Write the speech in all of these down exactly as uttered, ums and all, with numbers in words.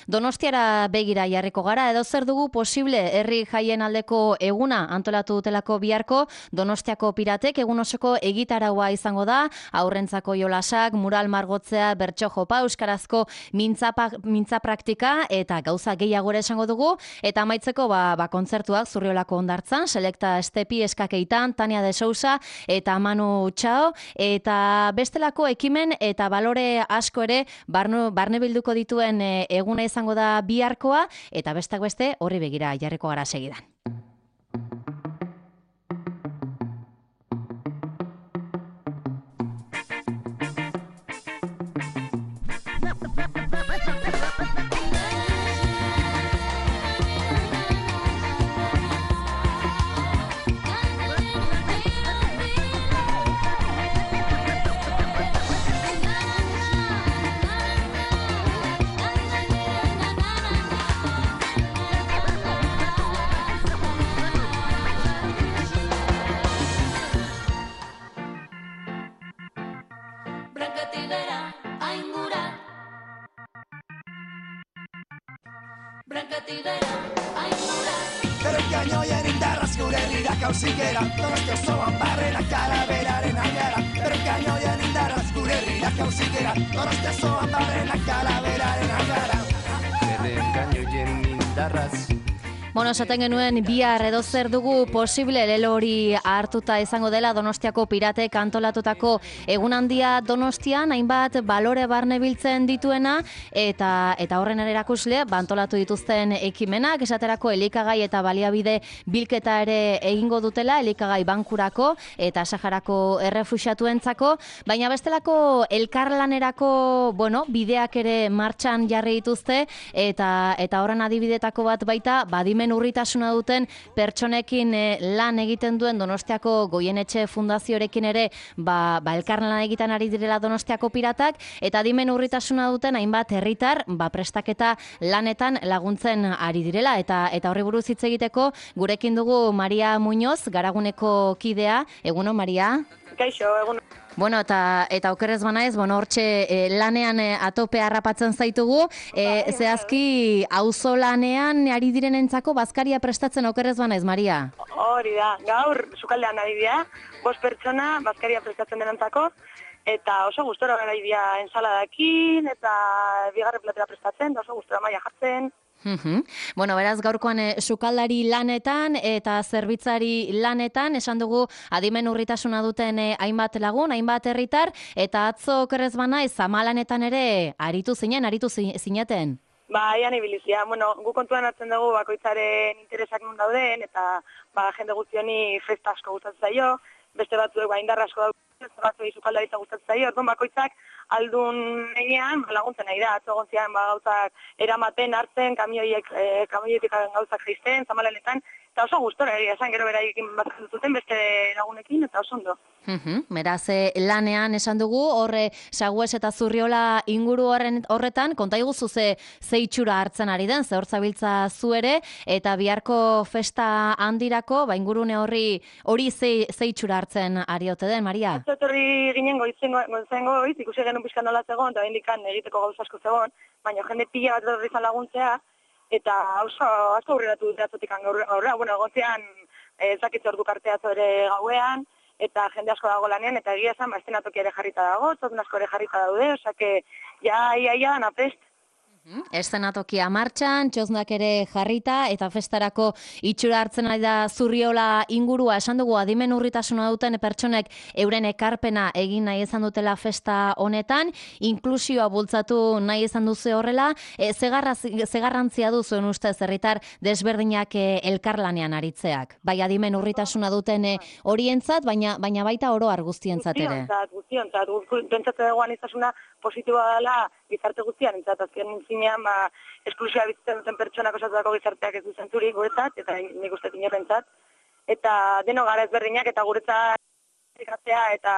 Donostiara begira jarriko gara, edo zer dugu posible herri jaien aldeko eguna antolatu dutelako biharko. Donostiako piratek egun osoko egitaraua izango da, aurrentzako jolasak, mural margotzea, bertso jopa, euskarazko mintza, mintza praktika eta gauza gehiago esango dugu. Eta amaitzeko ba, ba kontzertuak Zurriolako Hondartzan, Selekta Estepi, Eskakeitan, Tania de Sousa eta Manu Txao, eta bestelako ekimen eta balore asko ere barne, barne bilduko dituen e, eguna izango da biharkoa, eta bestak beste horri begira jarriko gara segidan. Bueno, esaten genuen bihar edo zer dugu posible lelo hori hartuta izango dela Donostiako piratek antolatutako egun handia Donostian, hainbat balore barne biltzen dituena eta eta horren erakusle antolatu dituzten ekimenak, esaterako elikagai eta baliabide bilketa ere egingo dutela, elikagai bankurako eta Saharako errefuxiatuentzako, baina bestelako elkarlanerako, bueno, bideak ere martxan jarri dituzte eta eta horren adibidetako bat baita badimen urritasuna duten pertsonekin lan egiten duen Donostiako Goienetxe Fundazioarekin ere ba, ba elkarlan egiten ari direla Donostiako piratak, eta adimen urritasuna duten hainbat herritar ba prestaketa lanetan laguntzen ari direla, eta eta horri buruz hitz egiteko gurekin dugu Maria Muñoz, Garaguneko kidea. Egunon, Maria? Kaixo, egunon. Bueno, eta eta okerrez banaiz, bueno, hortxe e, lanean e, atope harrapatzen zaitugu, e, zehazki auzolanean ari direnentzako bazkaria prestatzen okerrez banaiz, Maria? Hori da, gaur sukaldean ari dira, bost pertsona bazkaria prestatzen denentzako, eta oso gustora gara dira ensaladakin, eta bigarren platera prestatzen, oso gustora maila jartzen. Uhum. Bueno, beraz gaurkoan e, sukaldari lanetan eta zerbitzari lanetan, esan dugu adimen urritasuna duten e, hainbat lagun, hainbat herritar, eta atzo okerrez banaiz zamalanetan ere aritu zinen, aritu zineten. Ba, ian ibilizia. Bueno, gu kontuan hartzen dugu bakoitzaren interesak nun dauden, eta ba, jende guztioni festa asko gustatzen zaio, beste batzuek ba, indar asko dauden, beste batzuei sukaldaritza gustatzen zaio, orduan bakoitzak aldun einean laguntzen nahi da, atzo gontzian ba, gauzak eramaten, hartzen, kamioiek, e, kamioietik gauzak jaisten, zamalanetan, eta oso gustora egia esan, gero beraiekin bat zuten beste lagunekin, eta oso ondo. Uhum, beraz, lanean esan dugu, horre Sagues eta Zurriola inguru horren, horretan, konta iguzu ze zeitxura hartzen ari den, ze hor zabiltza zu ere, eta biharko festa handirako, ba ingurune horri hori ze, zeitxura hartzen ari ote den, Maria? Atzo etorri ginen goizen goiz, ikusi genuen pixkan nola zegoen, eta bendikan egiteko gauza asko zegoen, baina jende pila bat etorri izan laguntzea, eta oso asko aurreratu dute atzotik gaurra, bueno, gontzean ezakitze ordu kartea ere gauean, eta jende asko dago lanean, eta egia esan, ba, estenatoki ere jarrita dago, txotun asko ere jarrita daude, osake, ja, ia, ia, napest. Eszenatokia martxan, txosnak ere jarrita, eta festarako itxura hartzen ari da Zurriola ingurua, esan dugu adimen urritasuna duten pertsonek euren ekarpena egin nahi izan dutela festa honetan, inklusioa bultzatu nahi izan duzu horrela, e, zegarrantzia du zuen ustez herritar desberdinak e, elkarlanean aritzeak, bai adimen urritasuna duten e, horientzat, baina, baina baita oro har guztientzat ere. Guztiontzat, guztiontzat, pentsatzen dugu izasuna positiboa dela gizarte guztian, entzat, azken zinean, ba, esklusioa bizitzen duten pertsonak osatutako gizarteak ez du zentzurik guretzat, eta nik uste inorrentzat, eta deno gara ezberdinak, eta guretzat eta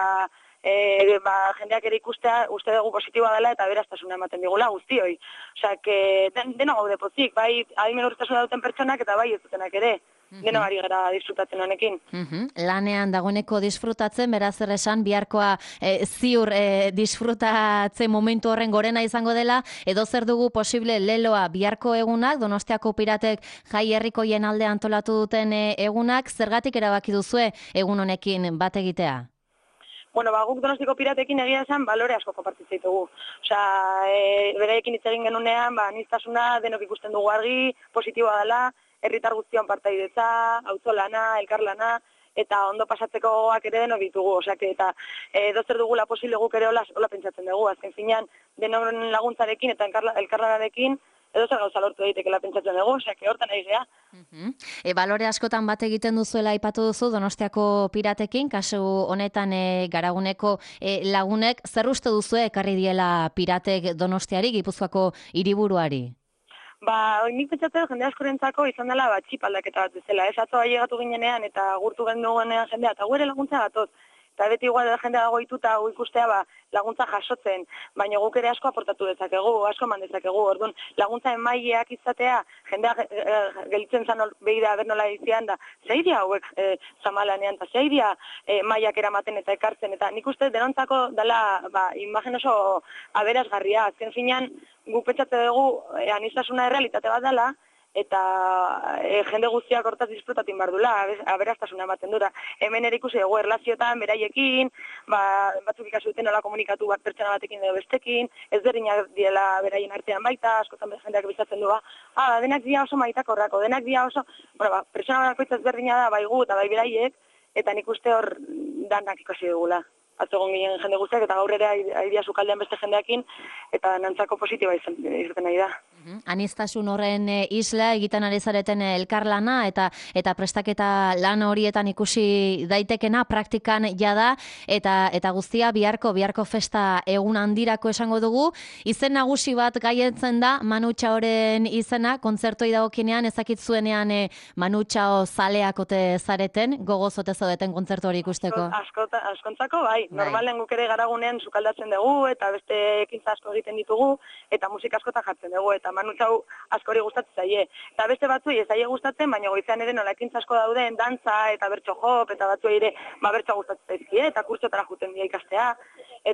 e, ba, jendeak ere ikustea uste dugu positiboa dela, eta beraztasuna ematen digula guztioi. Osea, que den, deno gaude pozik, bai adimen urritasuna duten pertsonak, eta bai ez dutenak ere. deno ari gara disfrutatzen honekin. Mhm. Lanean dagoeneko disfrutatzen, beraz zer esan, biharkoa e, ziur e, disfrutatzen momentu horren gorena izango dela, edo zer dugu posible leloa biharko egunak, Donostiako Piratek jai herrikoien alde antolatu duten e, egunak, zergatik erabaki duzue egun honekin bat egitea? Bueno, ba, guk Donostiko Piratekin egia esan balore asko konpartitzen ditugu. Osea, e, beraiekin hitz egin genunean, ba, aniztasuna denok ikusten dugu argi, positiboa dela, herritar guztion partaidetza, auzolana, elkarlana, eta ondo pasatzeko gogoak ere denok ditugu. Osea, eta e, dozer dugula posible guk ere hola, hola pentsatzen dugu. Azken finean, denon laguntzarekin eta elkarlanarekin, edo zer gauza lortu daitekela pentsatzen dugu, osea, hortan ari gea. Uh-huh. E, balore askotan bat egiten duzuela aipatu duzu Donostiako Piratekin, kasu honetan e, Garaguneko e, lagunek, zer uste duzu ekarri diela Piratek Donostiari, Gipuzkoako hiriburuari? Ba, nik pentsatzen jende askorentzako izan dela ba, txip aldaketa bat bezala. Ez atzo ailegatu ginenean eta gurtu genduenean jendea, eta gure laguntza gatoz. Eta beti igual jendea dago ituta gu ikustea ba, laguntza jasotzen, baina guk ere asko aportatu dezakegu, asko eman dezakegu. Orduan, laguntza emaileak izatea, jendea e, gelitzen zan behi da bernola izian da, zeidia hauek e, zamalanean, eta zeidia e, mailak eramaten eta ekartzen, eta nik uste denontzako dela ba, imagen oso aberazgarria. Azken finean, guk pentsatze dugu e, aniztasuna errealitate bat dela, eta e, jende guztiak hortaz disfrutatin behar dula, aberastasuna ematen dura. Hemen ere ikusi dugu erlazioetan, beraiekin, ba, batzuk ikasi duten nola komunikatu bat pertsona batekin edo bestekin, ez berdinak diela beraien artean baita, askotan jendeak bizatzen du, ba, ah, denak dia oso maitakorrako, denak dia oso, bueno, ba, pertsona bakoitza ezberdina da, bai gu eta bai beraiek, eta nik uste hor danak ikasi dugula. Atzogon ginen jende guztiak, eta gaur ere aidea sukaldean beste jendeakin, eta nantzako positiba izan, izaten nahi da. Anistasun horren isla egiten ari zareten elkarlana eta eta prestaketa lan horietan ikusi daitekena praktikan jada eta eta guztia biharko biharko festa egun handirako esango dugu. Izen nagusi bat gaietzen da Manu Txaoren izena, kontzertoi dagokienean ezakitzuenean e, Manu Txao zaleak ote zareten, gogoz ote zaudeten kontzertu hori ikusteko. Asko, askontzako bai, normalen guk ere garagunean sukaldatzen dugu eta beste ekintza asko egiten ditugu eta musika askotan jartzen dugu eta Manu Txau askori gustatzen zaie. Eta beste batzuei ez zaie gustatzen, baina goizean ere nola ekintza asko dauden, dantza eta bertso jop, eta batzuei ere ba, bertso gustatzen zaizkie, eta kurtsotara juten dira ikastea.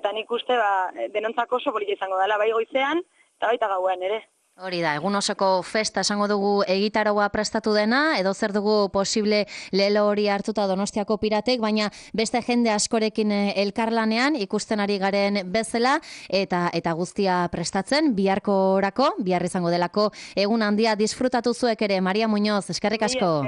Eta nik uste ba, denontzako oso polita izango dela, bai goizean eta baita gauean ere. Hori da, egun osoko festa esango dugu egitaroa prestatu dena, edo zer dugu posible lelo hori hartuta Donostiako Piratek, baina beste jende askorekin elkarlanean ikusten ari garen bezala, eta eta guztia prestatzen, biharko orako, bihar izango delako egun handia disfrutatu zuek ere, Maria Muñoz, eskerrik asko.